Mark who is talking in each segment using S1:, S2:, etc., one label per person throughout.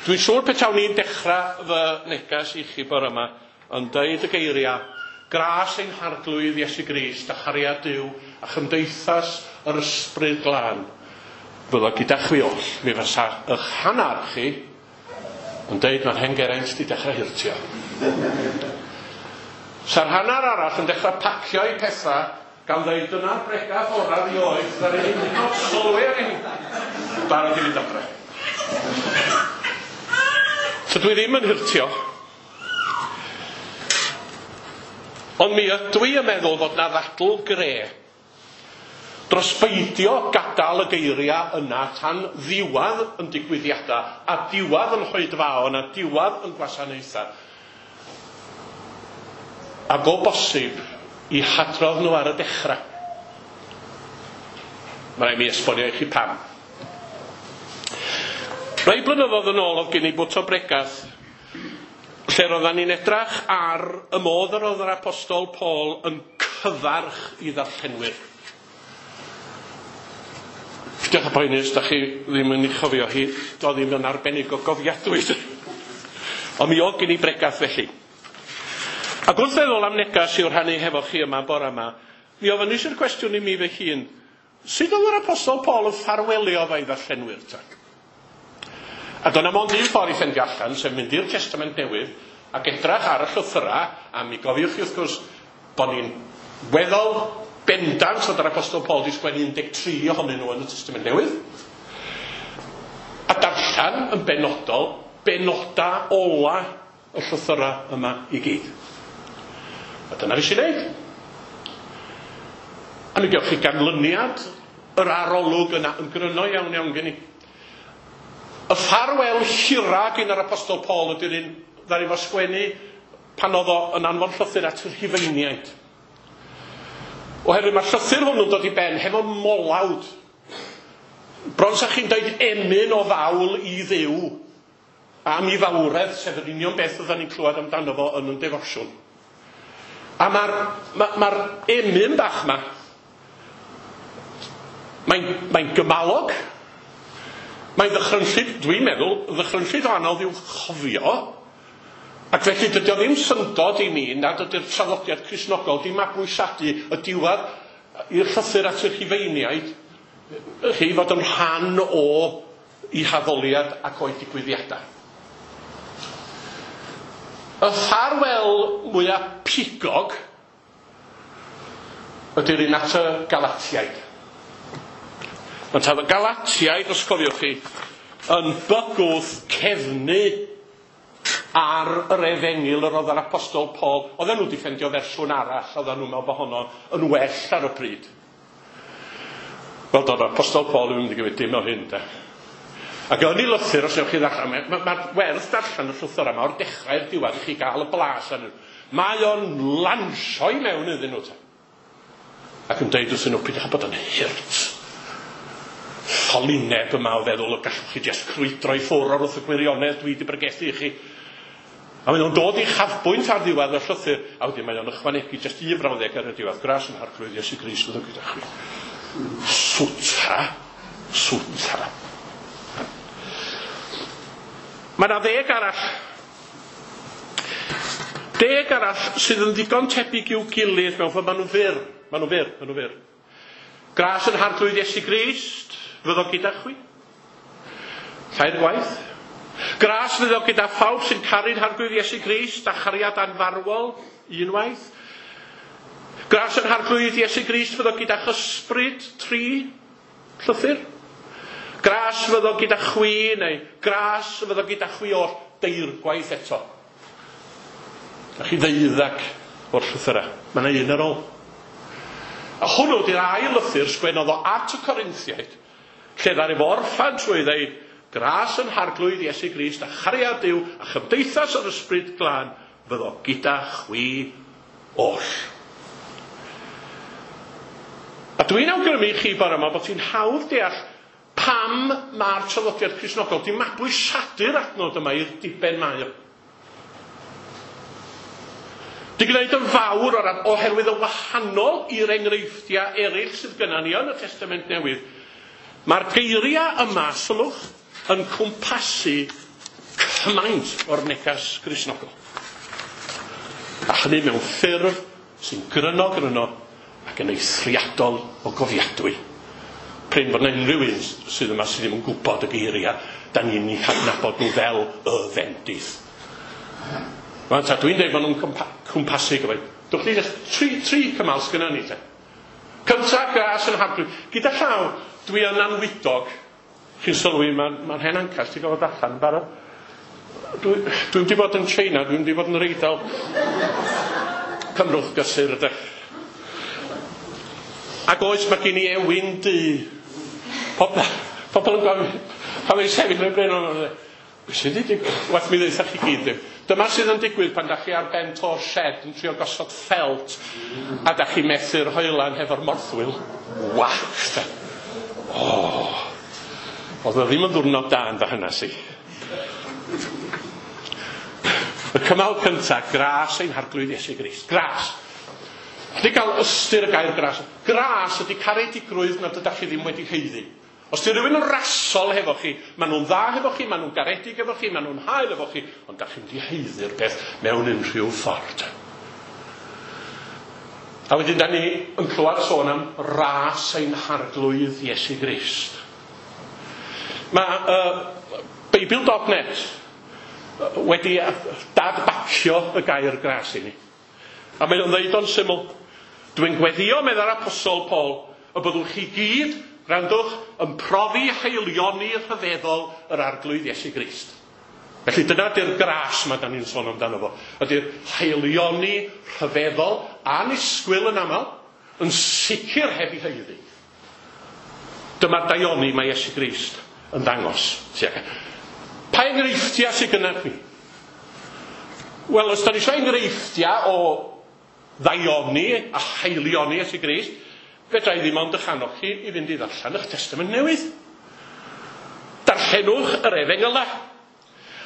S1: Dwi'n siŵr petawn i'n dechrau fy negas i chi bore yma yn deud y geiriau gras ein harglwydd Iesu Grist a chariad Duw a chymdeithas yr ysbryd glân fyddo gyda chwi oll. Mi fysa eich hannar chi yn deud mae'r hen Geraint di dechrau hurtio. Sa'r hannar arall yn dechrau pacio i pethau gan ddeud dyna'r bregath orau rioed ddaru ni hyd yn oed sylwi ar hyn. Barod i fynd adre. Tydw i ddim yn hurtio. Ond mi ydw i yn meddwl fod na ddadl gre dros beidio gadael y geiriau yna tan ddiwedd yn digwyddiadau a diwedd yn hoedfaon a diwedd yn gwasanaethau. Ac o bosib i hadrodd nhw ar y dechrau. Mae rhaid mi esbonio i chi pam. Rai blynyddoedd yn ôl oedd gen i bwt o bregath lle roeddan ni'n edrach ar y modd yr oedd yr apostol Paul yn cyfarch i ddarllenwyr. Peidiwch â poeni os da chi ddim yn ei chofio hi, doedd ddim yn arbennig o gofiadwy. Ond mi oedd gen i bregath felly. Ac wrth feddwl am negas i'w rhannu hefo chi yma bore yma, mi ofynnais i'r cwestiwn i mi fy hun, sut oedd yr apostol Paul yn ffarwelio efo'i ddarllenwyr ta? A doedd 'na mond un ffordd i ffendio allan, sef mynd i'r Testament Newydd ac edrach ar y llythyrau, a mi gofiwch chi wrth gwrs bod ni'n weddol bendant fod yr Apostol Paul wedi sgwennu 13 ohonyn nhw yn y Testament Newydd, a darllen yn benodol benoda ola y llythyrau yma i gyd. A dyna nes i wneud. A mi gewch chi ganlyniad yr arolwg yna yn gryno iawn iawn gen i. Y ffarwel hira gyn yr Apostol Paul ydy'r un ddaru fo sgwennu pan oedd o yn anfon llythyr at y Rhufeiniaid. Oherwydd mae'r llythyr hwnnw'n dod i ben hefo molawd. Bron sa chi'n dweud emyn o fawl i Dduw am ei fawredd, sef yr union beth oedden ni'n clywed amdano fo yn yn defosiwn. A mae'r ma, ma emyn bach yma, mae'n mae gymalog, mae'n ddychrynllyd, dwi'n meddwl, ddychrynllyd o anodd i'w chofio, ac felly dydy o ddim syndod i mi nad ydy'r traddodiad Cristnogol di mabwysiadu y diwedd i'r llythyr at y Rhufeiniaid, chi fod yn rhan o i haddoliad ac o'i digwyddiadau. Y ffarwel mwyaf pigog ydy'r un at y Galatiaid. Mae tad y Galatiaid, os cofiwch chi, yn bygwth cefnu ar yr efengyl yr oedd yr apostol Paul. Oedden nhw wedi ffendio fersiwn arall, oedden nhw'n meddwl bod honno yn well ar y pryd. Wel, doedd yr apostol Paul ddim wedi gymryd dim o hyn, de. Ac yn ei lythyr, os ewch chi ddarllen, mae ma, ma werth darllen y llythyr yma o'r dechrau i'r diwedd i chi gael y blas arnyn nhw. Mae o'n lansio i mewn iddyn nhw, te. Ac yn deud wrthyn nhw, peidiwch â bod yn hurt. Ffolineb yma o feddwl y gallwch chi jyst crwydro i ffwrdd o'r wrth y gwirionedd dwi wedi bregethu i chi. A mae o'n dod i chafbwynt ar ddiwedd y llythyr, a wedyn mae o'n ychwanegu jyst un frawddeg ar y diwedd. Gras yn harglwydd Iesu Grist fyddo gyda chwi. Swta, swta. Mae yna ddeg arall. Deg arall sydd yn ddigon tebyg i'w gilydd mewn ffordd. Maen nhw'n fyr, maen nhw'n fyr, maen nhw'n fyr. Gras yn harglwydd Iesu Grist fyddo gyda chwi. Tair gwaith. Gras fyddo gyda phawb sy'n caru'n harglwydd Iesu Grist a chariad anfarwol unwaith. Gras yn harglwydd Iesu Grist fyddo gyda chysbryd tri llythyr. Gras fyddo gyda chwi neu gras fyddo gyda chwi oll deirgwaith eto. Da chi ddeuddag o'r llythyrau. Mae yna un ar ôl. A hwnnw di'r ail lythyr sgwennodd o at y Corinthiaid, lle ddaru fo orffan trwy ddeud, gras yn harglwydd Iesu Grist a chariad Duw a chymdeithas yr ysbryd glân fyddo gyda chwi oll. A dwi'n awgrymu i chi bore yma bod hi'n hawdd deall pam mae'r traddodiad Cristnogol di mabwysiadu'r adnod yma i'r diben mae o. Di gwneud yn fawr o'r oherwydd yn wahanol i'r enghreifftiau eraill sydd gyda ni yn y Testament Newydd. Mae'r geiriau yma, sylwch, yn cwmpasu cymaint o'r negas Gristnogol. A hynny mewn ffurf sy'n gryno gryno ac yn eithriadol o gofiadwy. Prin bod 'na unrhyw un sydd yma sydd ddim yn gwybod y geiriau, da ni'n eu hadnabod nhw fel y fendith. Rwan ta, dwi'n dweud bod nhw'n cwmpasu gymaint. Dwch ni jyst tri cymal sgynna ni te. Cynta, gras yn Harglwydd. Gyda llaw, dwi yn anwydog. Chi'n sylwi, mae'n hen ancas, ti'n gofod allan yn barod. Dwi'n wedi bod yn China, dwi'n wedi bod yn yr Eidal. Cymrwch gysur ydych. Ac oes, mae gen i ewin du. Pobl yn gofyn, pan mae'n sefyll yn y bryn o'n beth sydd wedi digwydd? Wath mi ddeutha chi gyd ddim. Dyma sydd yn digwydd pan da chi ar ben to'r shed yn trio gosod ffelt a da chi methu'r hoelan hefo'r morthwyl. Wach! O! Oedd o ddim yn ddiwrnod da yn fy hanes i. Y cymal cyntaf, gras ein Harglwydd Iesu Grist. Gras. Ydy gael ystyr y gair gras. Gras ydy caredigrwydd nad ydych chi ddim wedi haeddu. Os di rhywun yn rasol hefo chi, maen nhw'n dda hefo chi, maen nhw'n garedig efo chi, maen nhw'n hael efo chi, ond da chi'n wedi haeddu'r peth mewn unrhyw ffordd. A wedyn da ni yn clywed sôn am ras ein Harglwydd Iesu Grist. Mae Beibl.net wedi dadbacio y gair gras i ni. A mae o'n dweud o'n syml, dwi'n gweddio, meddai'r Apostol Paul, y byddwch chi gyd, gwrandwch, yn profi haelioni rhyfeddol yr Arglwydd Iesu Grist. Felly dyna di'r gras mae da ni'n sôn amdano fo. Ydy'r haelioni rhyfeddol, annisgwyl yn aml, yn sicr heb ei haeddu. Dyma'r daioni mae Iesu Grist yn dangos. Pa enghreifftiau sydd gynna chi? Wel, os da ni eisiau enghreifftiau o ddaioni a haelioni Iesu Grist, fedra i ddim ond eich annog chi i fynd i ddarllen eich Testament Newydd. Darllenwch yr Efengylau.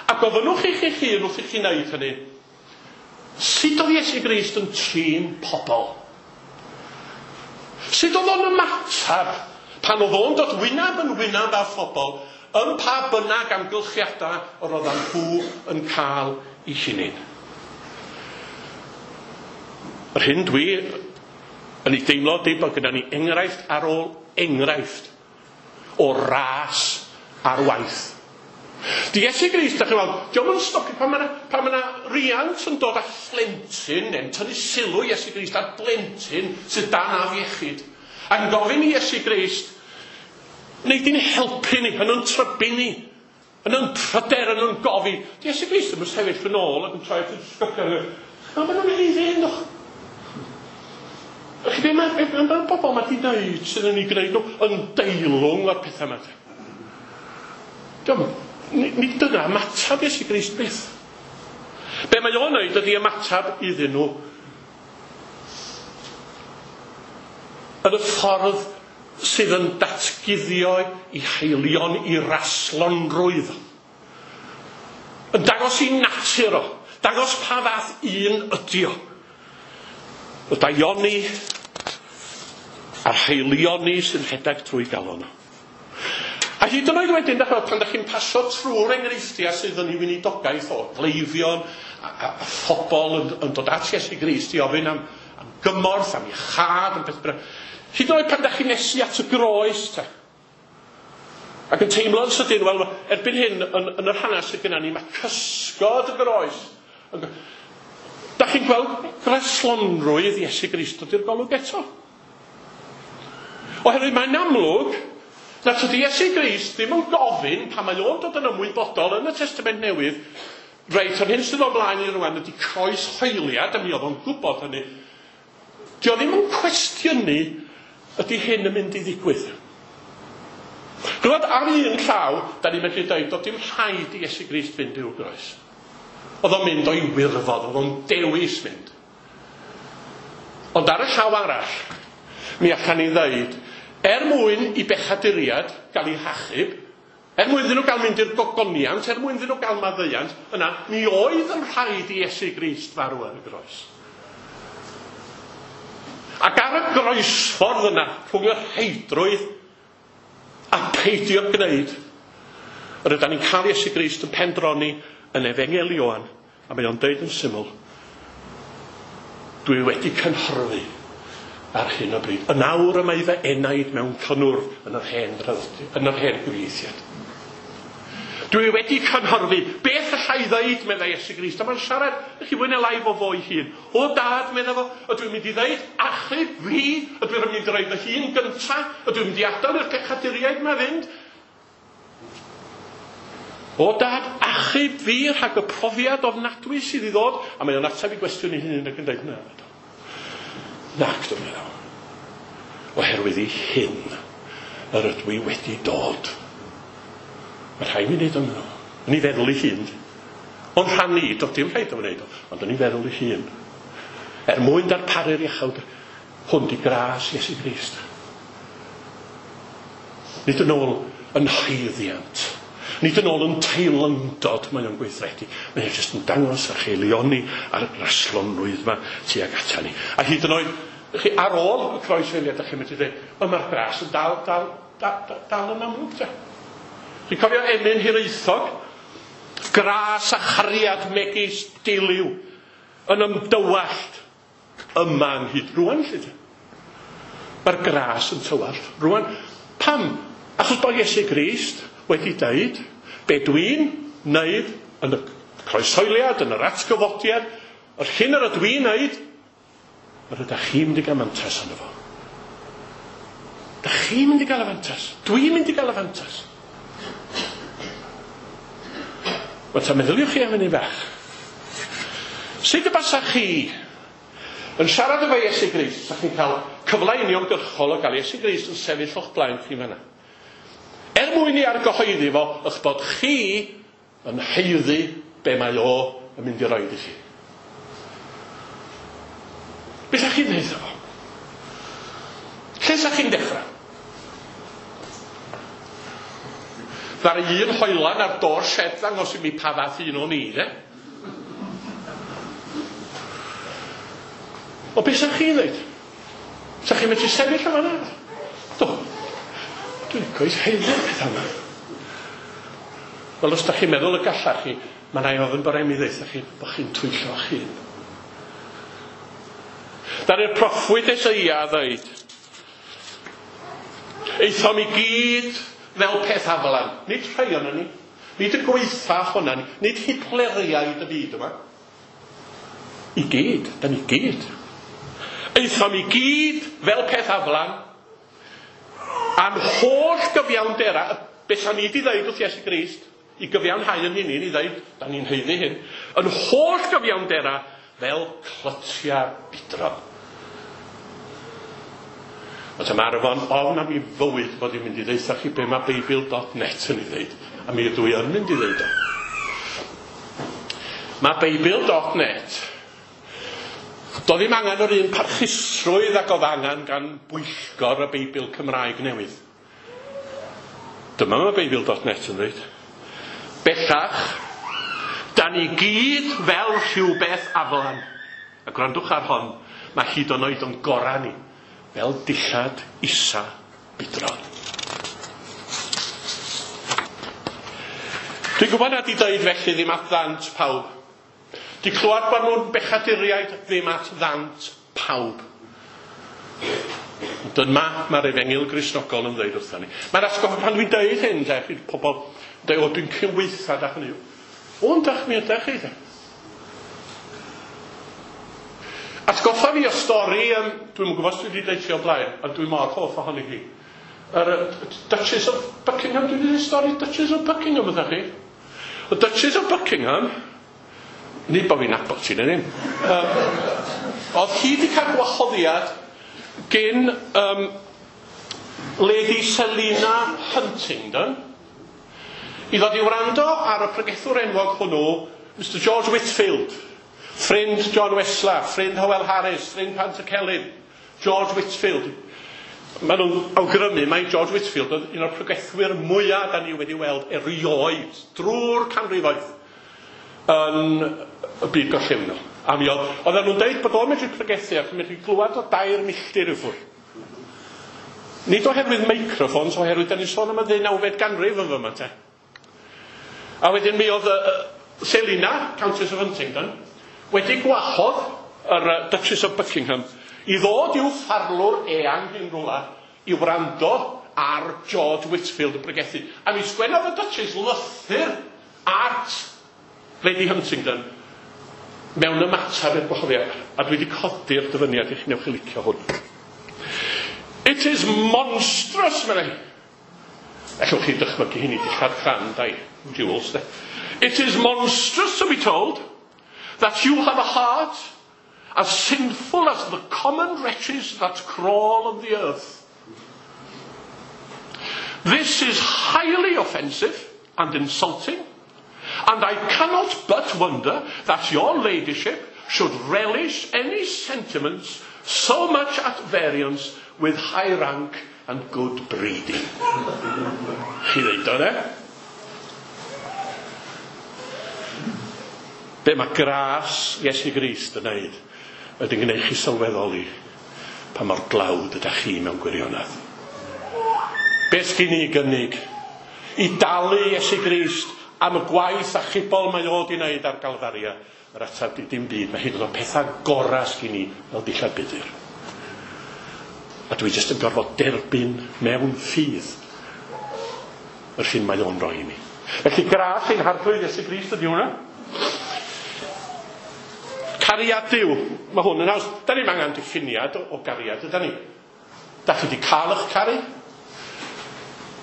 S1: A gofynnwch i chi'ch hun wrth i chi wneud hynny, sut oedd Iesu Grist yn trin pobl? Sut oedd o'n ymateb pan oedd o'n dod wyneb yn wyneb â phobl yn pa bynnag amgylchiadau yr oeddan nhw yn cael eu hunain? Yr hyn dwi yn ei deimlo ydy bod gyda ni enghraifft ar ôl enghraifft o ras ar waith. Di Iesu Grist, da chi'n weld, dio'm yn stopio pan mae yna riant yn dod â phlentyn, neu'n tynnu sylw Iesu Grist ar blentyn sydd dan afiechyd, ac yn gofyn i Iesu Grist, neu di'n helpu ni, yn yn trybu ni, yn yn pryder, yn yn gofi. Di Iesu Grist yn sefyll yn ôl ac yn troi at y disgyblion. A maen nhw'n haeddu hyn, doch. Chi be mae bobl mae di wneud sydd yn ei gwneud nhw yn deilwng o'r pethau yma. Diolch, nid dyna ymateb Iesu Grist byth. Be mae o'n wneud ydy ymateb iddyn nhw yn y ffordd sydd yn datguddio i haelion i raslonrwydd. Yn dangos i natur o, dangos pa fath un ydi o. Y daioni a'r haelioni sy'n rhedeg trwy galon o. A hyd yn oed wedyn, pan ydych chi'n pasio trwy'r enghreifftiau sydd yn ei weinidogaeth o gleifion a phobl yn dod at Iesu Grist i ofyn am gymorth, am iachâd, am beth bynnag. Hyd yn oed pan ydych chi'n nesu at y groes, te, ac yn teimlo'n sydyn, wel, erbyn hyn, yn yr hanes sydd gennym ni, mae cysgod y groes. Da chi'n gweld graslonrwydd Iesu Grist dod i'r golwg eto. Oherwydd mae'n amlwg na tydi Iesu Grist ddim yn gofyn pan mae o'n dod yn ymwybodol yn y Testament Newydd, reit, yr hyn sydd o blaen i rwan ydy croeshoeliad, a mi oedd o'n gwybod hynny. Dio ddim yn cwestiynu ydy hyn yn mynd i ddigwydd. Gwybod, ar un llaw, da ni'n medru dweud, doedd dim rhaid i Iesu Grist fynd i'w groes. Oedd o'n mynd o'i wirfodd, oedd o'n dewis mynd. Ond ar y llaw arall, mi allan ni ddeud, er mwyn i bechaduriad gael ei hachub, er mwyn iddyn nhw gael mynd i'r gogoniant, er mwyn iddyn nhw gael maddeuant, yna, mi oedd yn rhaid i Iesu Grist farw ar y groes. Ac ar y groesffordd yna, rhwng y rheidrwydd a peidio gwneud, Yr ydyn ni'n cael Iesu Grist yn pendroni yn Efengyl Ioan, a mae o'n deud yn syml, dwi wedi cynhyrfu ar hyn o bryd. Yn awr y mae fy enaid mewn cynnwrf yn yr hen draddodi, yn yr hen gyfieithiad. Dwi wedi cynhyrfu. Beth allai ddeud, meddai Iesu Grist. A mae'n siarad, chi fwy neu lai fo fo'i hun. O dad, meddai fo, ydw i'n mynd i ddeud, achub fi, ydw i'n mynd i roi fy hun gynta, ydw i'n mynd i adael i'r pechaduriaid ma fynd. O dad, achub fi rhag y profiad ofnadwy sydd i ddod. A mae o'n ateb i gwestiwn ei hun ac yn dweud, na, nac, dwi'n meddwl. Oherwydd i hyn yr ydw i wedi dod. Mae rhaid mi wneud o'n meddwl. Yn ei feddwl ei hun. Ond rhan ni, doedd dim rhaid o'n wneud o, ond yn ei feddwl ei hun. Er mwyn darparu'r iachawd, hwn di gras Iesu Grist. Nid yn ôl yn haeddiant. Nid yn ôl yn teilyngdod mae o'n gweithredu. Mae o'n jyst yn dangos yr haelioni a'r graslonrwydd yma tuag ata ni. A hyd yn oed, chi, ar ôl y croeshoeliad, ydych chi'n medru dweud, ond mae'r gras yn dal, dal, dal, dal, dal yn amlwg, te. Chi'n cofio emyn Hiraethog? Gras a chariad megis diliw yn ymdywallt yma ynghyd. Rwan, lle te. Mae'r gras yn tywallt. Rwan, pam? Achos bod Iesu Grist wedi dweud, be dwi'n wneud yn y croeshoeliad, yn yr atgyfodiad, yr hyn yr ydw i'n wneud, yr ydych chi'n mynd i gael mantais arno fo. Dych chi'n mynd i gael y fantas. Dwi'n mynd i gael y fantas. Wel, ta meddyliwch chi am hynny bach. Sut y basach chi yn siarad efo Iesu Grist, sa chi'n cael cyfle uniongyrchol o gael Iesu Grist yn sefyll o'ch blaen chi fanna? Er mwyn i argyhoeddi fo, eich bod chi yn haeddu be mae o yn mynd i roid i chi. Be sa chi'n dweud fo? Lle sa chi'n dechrau? Ddaru un hoelan ar do'r shed ddangos i mi pa fath un o'n i, de? O, beth sa chi'n dweud? Sa chi'n medru sefyll yma na? Do. Dwi'n coes haeddu'r pethau yma. Wel, os da chi'n meddwl y gallach chi, mae rhaid ofyn bod rhaid mi ddeutha chi bod chi'n twyllo chi. Daru'r proffwyd Eseia ddeud, aethom i gyd fel peth aflan. Nid rhai o'n ni. Nid y gweitha hwnna ni. Nid Hitleriaid y byd yma. I gyd. Da ni gyd. Aethom i gyd fel peth aflan. A'n holl gyfiawndera, beth sa'n ni wedi ddeud wrth Iesu Grist, i gyfiawnhau yn hynny, ni ddeud, da ni'n haeddu hyn, yn holl gyfiawndera fel clytiau budron. Ond mae Arfon ofn am ei fywyd bod i'n mynd i ddeutha chi be mae Beibl.net yn ei ddeud. A mi ydw i yn mynd i ddeud o. Mae Beibl.net, doedd ddim angen yr un parchusrwydd ac oedd angen gan bwyllgor y Beibl Cymraeg newydd. Dyma mae Beibl.net yn dweud. Bellach, da ni gyd fel rhywbeth aflan. A gwrandwch ar hon, mae hyd yn oed o'n gorau ni. Fel dillad isa budron. Dwi'n gwybod nad i dweud felly ddim at ddant pawb. Di clywed bod nhw'n bechaduriaid ddim at ddant pawb. Ond dyma mae'r Efengyl Gristnogol yn dweud wrthon ni. Mae'r atgoffa pan dwi'n dweud hyn, de, chi'r pobl yn dweud, o, dwi'n cynweitha da hynny. O, yndach mi ydach chi, de. Atgoffa fi o stori, dwi'm yn gwybod os dwi wedi deud ti o blaen, ond dwi mor hoff ohoni hi. Yr Duchess of Buckingham, dwi wedi dweud stori Duchess of Buckingham ydych chi? Y Duchess of Buckingham, nid bod fi'n nabod ti neu ddim, oedd hi wedi cael gwahoddiad gen Lady Selina Huntingdon i ddod i wrando ar y pregethwr enwog hwnnw, Mr George Whitefield, ffrind John Wesley, ffrind Howell Harris, ffrind Pantycelyn, George Whitefield. Maen nhw'n awgrymu mai George Whitefield oedd un o'r pregethwyr mwyaf da ni wedi weld erioed drwy'r canrifoedd yn y byd gorllewinol. A mi oedd, oedden nhw'n deud bod o'n medru pregethu ac yn medru glywed o 2 milltir i ffwrdd. Nid oherwydd microphones, oherwydd da ni'n sôn am y 19fed ganrif yn fyma te. A wedyn mi oedd Selina, Countess of Huntingdon, wedi gwahodd yr Duchess of Buckingham i ddod i'w pharlwr eang yn rhywle i wrando ar George Whitefield yn pregethu. A mi sgwennodd y Duchess lythyr at Lady Huntingdon mewn ymateb i'r gwahoddiad. A dwi wedi codi'r dyfyniad i chi, newch chi licio hwn. "It is monstrous," meddai. Ellwch chi dychmygu hynny, dillad crand a'i jewels, de. "It is monstrous to be told that you have a heart as sinful as the common wretches that crawl on the earth. This is highly offensive and insulting, and I cannot but wonder that your ladyship should relish any sentiments so much at variance with high rank and good breeding." Chi ddeud o, ne? Be mae gras Iesu Grist yn neud ydy'n gwneud chi sylweddoli pa mor dlawd ydych chi mewn gwirionedd. Be sgyn i gynnig i dalu Iesu Grist am y gwaith achubol mae o di wneud ar Galfaria? Yr ateb di dim byd. Mae hyd yn oed pethau gorau sgyn i fel dillad budur. A dwi jyst yn gorfod derbyn mewn ffydd yr hyn mae o'n rhoi i mi. Felly gras ein Harglwydd Iesu Grist ydy hwnna. Cariad Duw. Mae hwn yn haws. Da ni'n angen diffiniad o gariad, yda ni? Da chi wedi cael eich caru,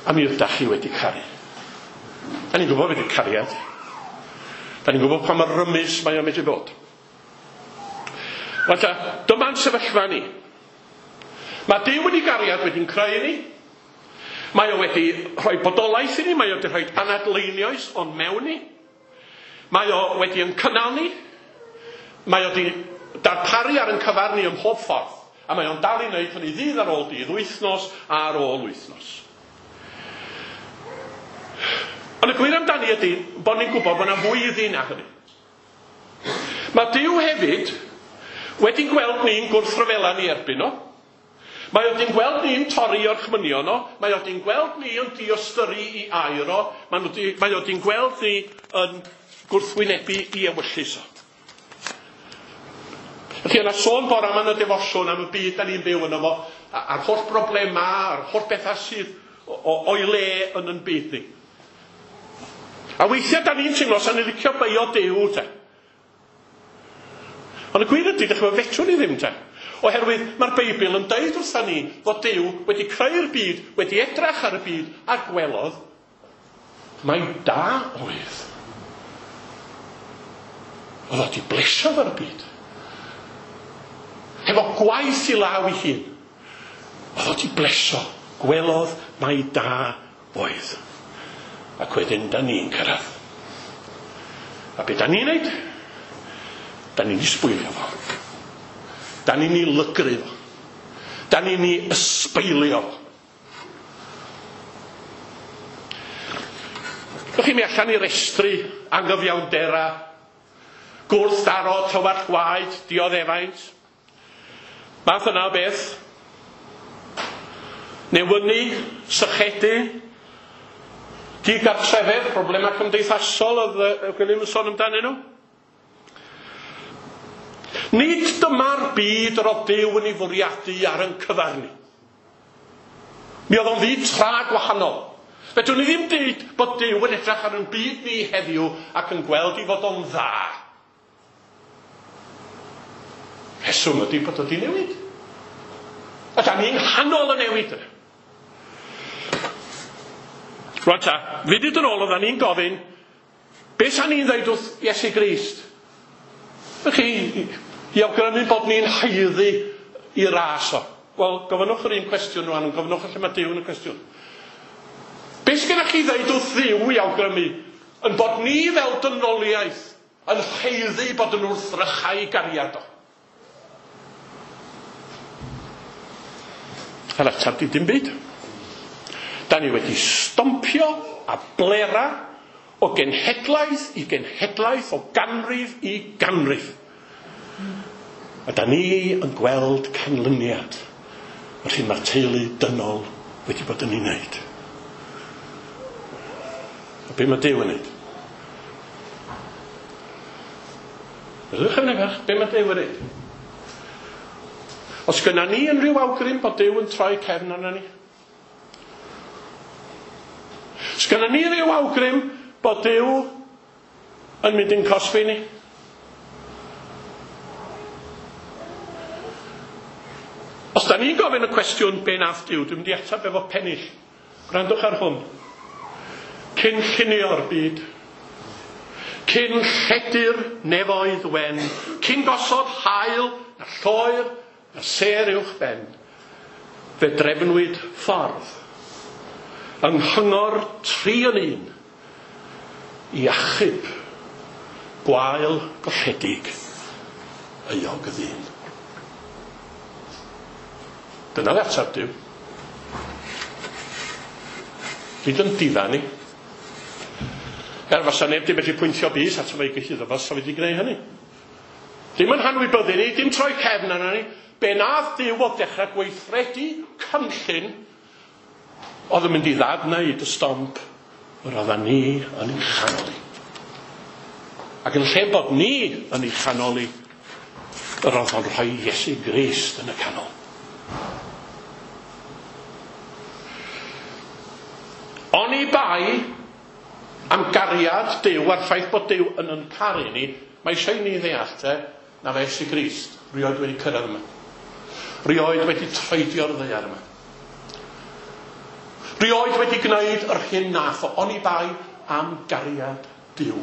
S1: a mi ydach chi wedi caru. Da ni'n gwybod beth yw cariad. Da ni'n gwybod pa mor rymus mae o'n medru bod. Wel ta, dyma'n sefyllfa ni. Mae Duw wedi gariad wedi'n creu ni. Mae o wedi rhoi bodolaeth i ni, mae o wedi rhoi anadl einioes o'n mewn ni. Mae o wedi yn cynnal ni. Mae o wedi darparu ar yn cyfar ni ym mhob ffordd. A mae o'n dal i wneud hynny ddydd ar ôl dydd, wythnos ar ôl wythnos. Ond y gwir amdani ydy bod ni'n gwybod bod yna fwy iddi na hynny. Mae Duw hefyd wedi gweld ni'n gwrthryfela ni erbyn o. Mae o wedi'n gweld ni'n torri orchmynion o. Mae o wedi'n gweld ni yn diystyru i air o. Mae o wedi'n gweld ni yn gwrthwynebu i ewyllys o. Felly yna sôn bore yma yn y defosiwn am y byd da ni'n byw yno fo, a'r holl broblemau, a'r holl bethau sydd o'i le yn yn byd ni. A weithiau da ni'n teimlo sa'n ni'n licio beio Duw te. Ond y gwir ydy, dych chi'n fedrwn ni ddim te. Oherwydd mae'r Beibl yn deud wrtha ni fod Duw wedi creu'r byd, wedi edrach ar y byd, a gwelodd mai da oedd. Oedd o wedi blesio fo'r byd. Hefo gwaith i law ei hun. Oedd o wedi blesio. Gwelodd mai da oedd. Ac wedyn da ni'n cyrraedd. A be da ni'n neud? Da ni'n ei sbwylio fo. Da ni'n ei lygru fo. Da ni'n ei ysbeilio fo. Dych chi'n mi allan i restru anghyfiawndera, gwrthdaro, tywallt gwaed, dioddefaint. Math yna o beth. Newynu, sychedu, digartrefedd, problemau cymdeithasol oedd Gwilym yn sôn amdanyn nhw. Nid dyma'r byd yr oedd Duw yn ei fwriadu ar yn cyfar ni. Mi oedd o'n fyd tra gwahanol. Fedrwn ni ddim dweud bod Duw yn edrych ar yn byd ni heddiw ac yn gweld i fod o'n dda. Rheswm ydy bod o di newid. A da ni'n nghanol y newid yna. Rwan ta, funud yn ôl oeddan ni'n gofyn, beth sa'n ni'n dweud wrth Iesu Grist? Ych chi, i awgrymu bod ni'n haeddu i ras o. Wel, gofynnwch yr un cwestiwn rwan, ond gofynnwch lle mae Duw yn y cwestiwn. Beth sgennych chi ddeud wrth Dduw i awgrymu yn bod ni fel dynoliaeth yn haeddu bod yn wrthrychau i gariad o? Yr ateb di dim byd. Da ni wedi stompio a blera o genhedlaeth i genhedlaeth, o ganrif i ganrif. A da ni yn gweld canlyniad yr hyn mae'r teulu dynol wedi bod yn ei wneud. A be mae Duw yn wneud? Meddyliwch am bach, be mae Duw yn neud? Os gynna ni unrhyw awgrym bod Duw yn troi cefn arna ni? Os gynna ni ryw awgrym bod Duw yn mynd i'n cosbi ni? Os da ni'n gofyn y cwestiwn be nath Duw, dwi'n mynd i ateb efo pennill. Gwrandwch ar hwn. Cyn llunio'r byd, cyn lledu'r nefoedd wen, cyn gosod haul na lloer na sêr uwch ben, fe drefnwyd ffordd yng nghyngor 3 yn 1 i achub gwael golledig euog y ddyn. Dyna'r ateb Duw. Nid yn difa ni. Er fasa neb di medru pwyntio bys ato fe i gyhuddo fo, sa fe di gwneud hynny. Dim yn hanwybyddu ni, dim troi cefn arno ni. Be nath Duw oedd dechrau gweithredu cynllun oedd yn mynd i ddadwneud y stomp yr oeddan ni yn ei chanol i. Ac yn lle bod ni yn ei chanol i, yr oedd o'n rhoi Iesu Grist yn y canol. Oni bai am gariad Duw a'r ffaith bod Duw yn yn caru ni, mae eisiau i ni ddeall te, na fe Iesu Grist rioed wedi cyrraedd yma. Rioed wedi troedio'r ddaear yma. Rioed wedi gwneud yr hyn nath o, oni bai am gariad Duw.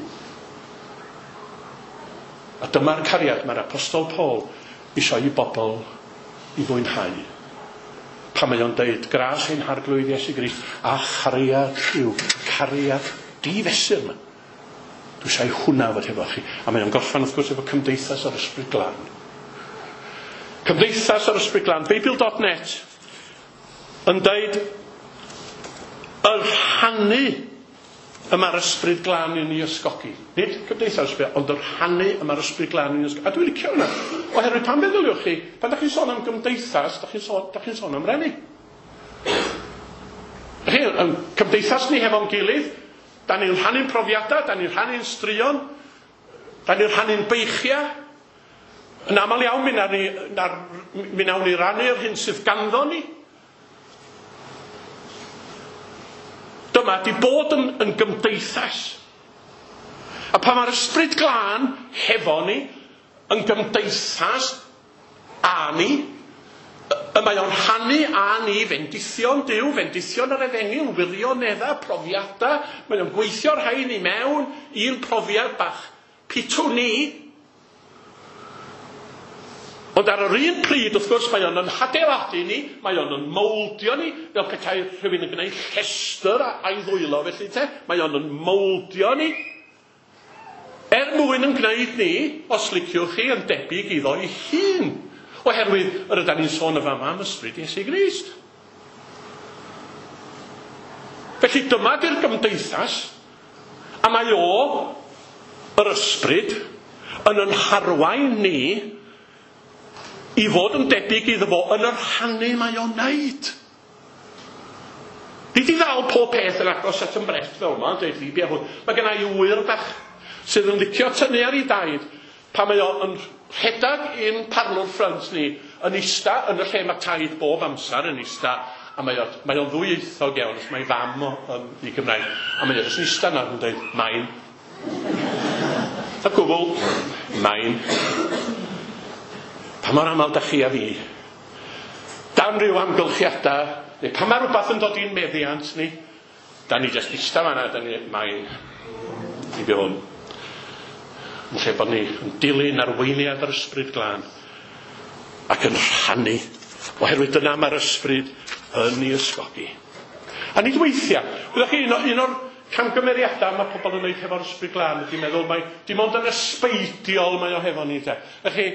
S1: A dyma'r cariad mae'r Apostol Paul eisiau i bobl i fwynhau. Pan mae o'n deud, gras ein harglwydd Iesu Grist a chariad Duw, cariad difesur yma. Dwi eisiau hwnna fod hefo chi. A mae o'n gorffen wrth gwrs efo Cymdeithas yr Ysbryd Glân. Cymdeithas yr Ysbryd Glân, Beibl.net yn deud y rhannu y mae'r Ysbryd Glân yn ei ysgogi. Nid Cymdeithas Ysbryd, ond y rhannu y mae'r Ysbryd Glân yn ei ysgogi. A dwi'n licio hwnna. Oherwydd pan feddyliwch chi, pan da chi'n sôn am gymdeithas, da chi'n sôn am rennu. Chi, yn cymdeithas ni hefo'n gilydd, da ni'n rhannu'n profiadau, da ni'n rhannu'n straeon, da ni'n rhannu'n beichiau. Yn aml iawn, mi nawn ni rannu'r hyn sydd ganddo ni. Dyma di bod yn gymdeithas. A pan mae'r Ysbryd Glân hefo ni, yn gymdeithas â ni, y mae o'n rhannu â ni fendithion Duw, fendithion yr efengyl, wirioneddau, profiadau. Mae o'n gweithio'r rhain i mewn i'n profiad bach pitw ni. Ond ar yr un pryd, wrth gwrs, mae o'n yn hadeiladu ni, mae o'n yn mowldio ni, fel petai rhywun yn gwneud llestr a'i ddwylo felly te, mae o'n yn mowldio ni. Er mwyn yn gwneud ni, os liciwch chi, yn debyg iddo ei hun. Oherwydd yr ydan ni'n sôn y fama am ysbryd Iesu Grist. Felly dyma di'r gymdeithas, a mae o, yr ysbryd, yn yn harwain ni i fod yn debyg iddo fo yn yr rhannu mae o'n wneud. Nid i ddal pob peth yn agos at yn brest fel yma, dweud fi, bia hwn. Mae gen i ŵyr bach sydd yn licio tynnu ar ei daid pan mae o yn rhedeg i'n parlwr ffrynt ni, yn ista yn y lle mae taid bob amser yn ista, a mae o'n ddwyieithog iawn, os mae fam o i Gymraeg, a mae o jyst yn ista yna yn dweud, main. A gwbl, main. Pa mor aml da chi a fi, dan ryw amgylchiadau, neu pan mae rhywbeth yn dod i'n meddiant ni, da ni jyst ista fan'na, da ni, main, i fi hwn. Yn lle bod ni yn dilyn arweiniad yr Ysbryd Glân ac yn rhannu, oherwydd dyna mae'r Ysbryd yn ei ysgogi. A nid weithiau, wyddoch chi, un o'r camgymeriadau mae pobl yn wneud hefo'r Ysbryd Glân ydy meddwl mai dim ond yn ysbeidiol mae o hefo ni te. Felly,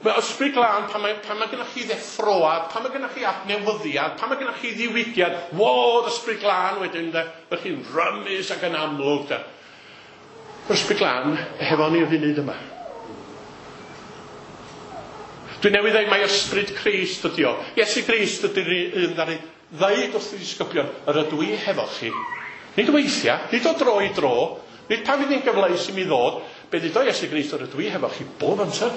S1: mae Ysbryd Glân, pan mae gennych chi ddeffroad, pan mae gennych chi adnewyddiad, pan mae gennych chi ddiwygiad, wodd Ysbryd Glân wedyn de, fe chi'n rymus ac yn amlwg de. Yr Ysbryd Glân hefo ni y funud yma. Dwi newydd ddeud mai Ysbryd Crist ydi o. Iesu Grist ydy'r un ddaru ddeud wrth y disgyblion, yr ydw i hefo chi. Nid weithiau, nid o dro i dro, nid pan fydd hi'n gyfleus i mi ddod, Be ddudodd Iesu Grist yr ydw i hefo chi bob amser.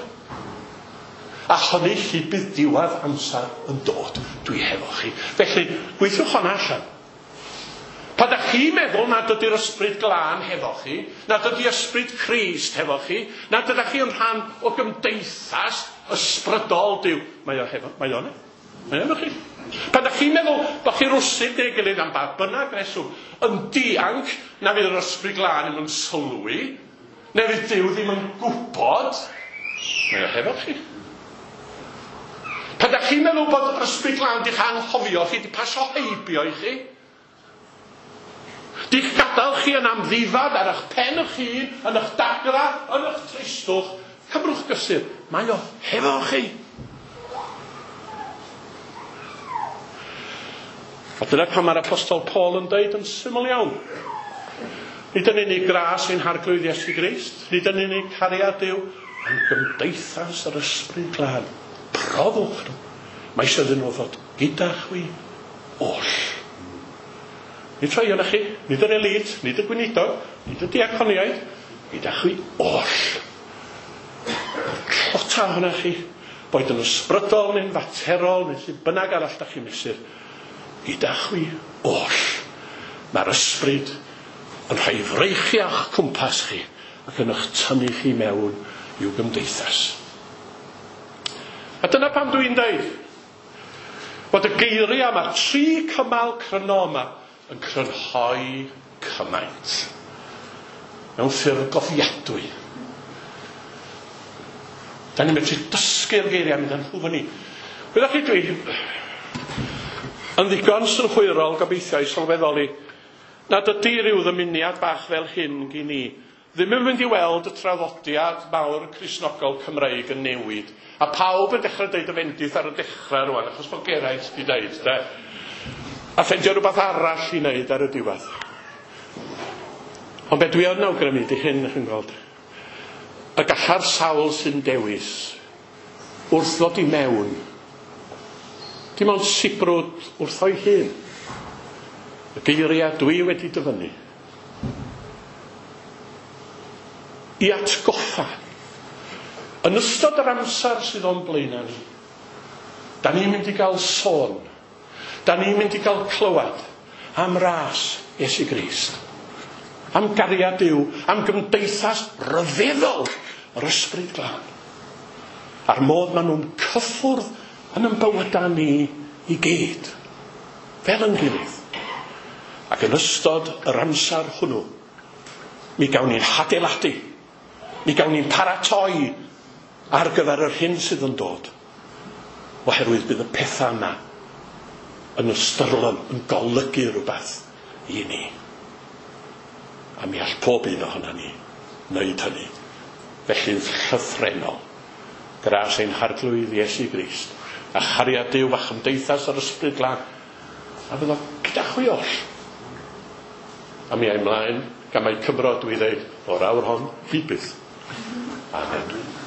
S1: A hynny hyd bydd diwedd amser yn dod. Dwi hefo chi. Felly, gweithiwch honna allan. Pan dach chi'n meddwl nad ydy'r ysbryd glân hefo chi, nad ydy ysbryd Crist hefo chi, nad ydych chi yn rhan o gymdeithas ysbrydol Duw, mae o hefo, mae o yna. Mae o efo chi. Pan dach chi'n meddwl bod chi rwsut neu gilydd am ba bynnag reswm, yn dianc na fydd yr ysbryd glân ddim yn sylwi, neu fydd Duw ddim yn gwybod, mae o hefo chi. Pan dach chi'n meddwl bod yr ysbryd glân di'ch anghofio chi, di pasio heibio i chi, Di'ch gadael chi yn amddifad ar eich pen eich hun, yn eich dagra, yn eich tristwch, cymrwch gysur, mae o hefo chi. A dyna pam mae'r apostol Paul yn deud yn syml iawn. Nid yn unig gras ein harglwydd Iesu Grist, nid yn unig cariad Duw, ond gymdeithas yr ysbryd glân. Profwch nhw. Mae eisiau iddyn nhw ddod gyda chwi oll. Nid rhai ohonoch chi, nid yr elite, nid y gweinidog, nid y diaconiaid, gyda chwi oll. Tlota ohonoch chi, boed yn ysbrydol neu'n faterol neu lle bynnag arall da chi'n mesur, gyda chwi oll. Mae'r ysbryd yn rhoi freichiau o'ch cwmpas chi ac yn eich tynnu chi mewn i'w gymdeithas. A dyna pam dwi'n deud bod y geiriau yma, tri cymal cryno yma, yn crynhoi cymaint mewn ffurf gofiadwy. Da ni'n medru dysgu'r geiriau mynd â nhw fyny. Wyddoch chi, dwi yn ddigon synhwyrol gobeithio i sylweddoli nad ydy rhyw ddymuniad bach fel hyn gyn i ddim yn mynd i weld y traddodiad mawr Cristnogol Cymreig yn newid. A pawb yn dechrau deud y fendith ar y dechrau rwan, achos bod Geraint di deud, de. A ffeindio rhywbeth arall i wneud ar y diwedd. Ond be dwi yn awgrymu di hyn, chi'n gweld. Y galla'r sawl sy'n dewis wrth ddod i mewn, dim ond sibrwd wrtho'i hun. Y geiriau dwi wedi dyfynnu. I atgoffa. Yn ystod yr amser sydd o'n blaenau ni, da ni'n mynd i gael sôn, da ni'n mynd i gael clywed am ras Iesu Grist, am gariad Duw, am gymdeithas ryfeddol yr ysbryd glân, a'r modd maen nhw'n cyffwrdd yn ein bywydau ni i gyd, fel yn gilydd. Ac yn ystod yr amser hwnnw, mi gawn ni'n hadeiladu, mi gawn ni'n paratoi ar gyfer yr hyn sydd yn dod, oherwydd bydd y pethau yma yn ystyrlon, yn golygu rhywbeth i ni. A mi all pob un ohono ni wneud hynny. Felly'n llythrennol, gras ein harglwydd Iesu Grist, a chariad Duw a chymdeithas yr ysbryd glân, a fyddo gyda chwi oll. A mi ai mlaen, gan mai Cymro dwi ddeud, o'r awr hon, hyd byth. Amen.